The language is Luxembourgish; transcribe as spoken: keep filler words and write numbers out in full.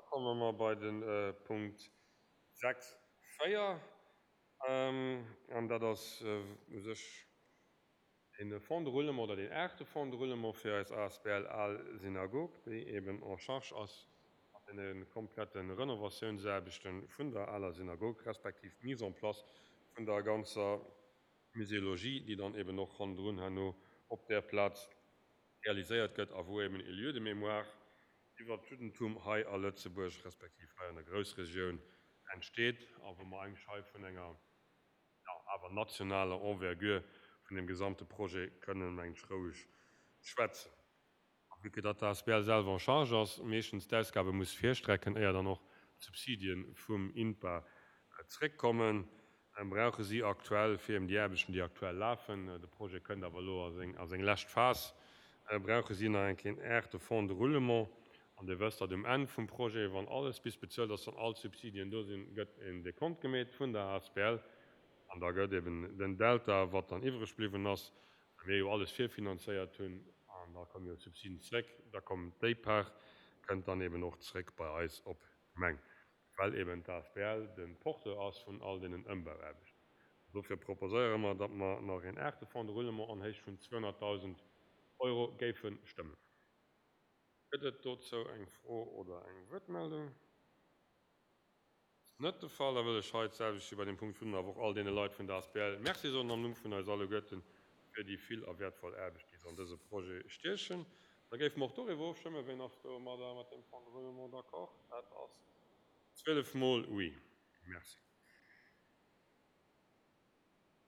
komme mer bei de Punkt sechs véier. An dat ass u sech de Fonds de roulement oder den aachte Fonds de roulement fir eis A S B L Al Synagog, déi eben en charge ass mat deene komplette Renovatiounsaarbechte vun der aler Synagog, respektiv d'Mise en place vun der ganzer Muséologie, déi dann eben och hannendrun herno op där Plaz realiséiert gëtt a wou eben e Lieu de mémoire iwwer d'Juddentum hei a Lëtzebuerg, respektiv hei an der Groussregioun entsteet a wou mer eigentlech hei vun enger, ja, awer nationaler Envergure vun dem gesamte Projet kënnen, mengen ech, roueg schwätzen. A vu que datt d'A S B L selwer en charge ass, meeschtens d'Ausgabe muss virstrecken, éier dann och d'Subsidie vum INPA zréckkommen, brauche si aktuell fir eben déi Aarbechten, déi aktuell lafen, de Projet kënnt awer elo a seng, a seng lescht Phas, brauche si nach eng Kéier en aachte Fonds de roulement. An Dir wësst, datt um Enn vum Projet, wann alles bis bezuelt ass an all d'Subsidien do sinn, gëtt en Dekont gemeet vun der A S B L an da gëtt eben den Delta, wat dann iwwreg bliwwen ass, well mir jo alles virfinanzéiert hunn, an da komme jo d'Subsiden zréck, da kommt déi Part, kënnt dann eben och zréck bei eis op d'Gemeng, well eben d'A S B L de Porteur ass vun all deenen Ëmbauaarbechten. Dofir proposéiere mer, datt mer nach een aachte Fonds de roulement an Héicht vun zweehonnertdausend Euro géife stëmmen. Gëtt et dozou eng Fro oder eng Wuertmeldung? Ass net de Fall. Da wëll ech hei d'selwecht wéi bei dem Punkt virdrun awer och all deene Leit vun der A S B L Merci soen am Numm vun eis alleguerten fir déi vill a wäertvoll Aarbecht, déi se an dëse Projet stiechen. Da géife mer och doriwwer ofstëmmen. Wien ass domadder mat deem Fonds de roulement d'accord? Dat ass zwielef mol oui. Merci.